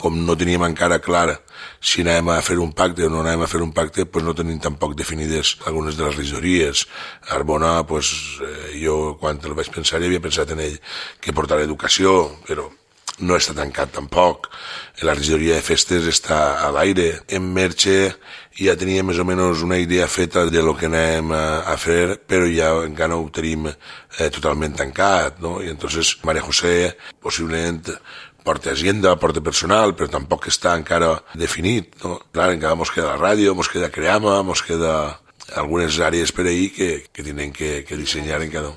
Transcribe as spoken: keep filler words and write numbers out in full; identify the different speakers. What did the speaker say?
Speaker 1: com no teníem encara clar si anàvem a fer un pacte o no anàvem a fer un pacte, pues no tenim tampoc definides algunes de les regidories. Arbona, pues, eh, jo quan el vaig pensar ja havia pensat en ell que portarà educació, però no està tancat tampoc. La regidoria de festes està a l'aire. En Merche ja tenia més o menys una idea feta de lo que anem a, a fer, però ja encara no ho tenim eh, totalment tancat, no? I entonces María José possiblement porta agenda, porta personal, però tampoc està encara definit, no? Clar, encara mos queda la ràdio, mos queda Creama, mos queda algunes àrees per ahir que, que tenen que, que dissenyar encara.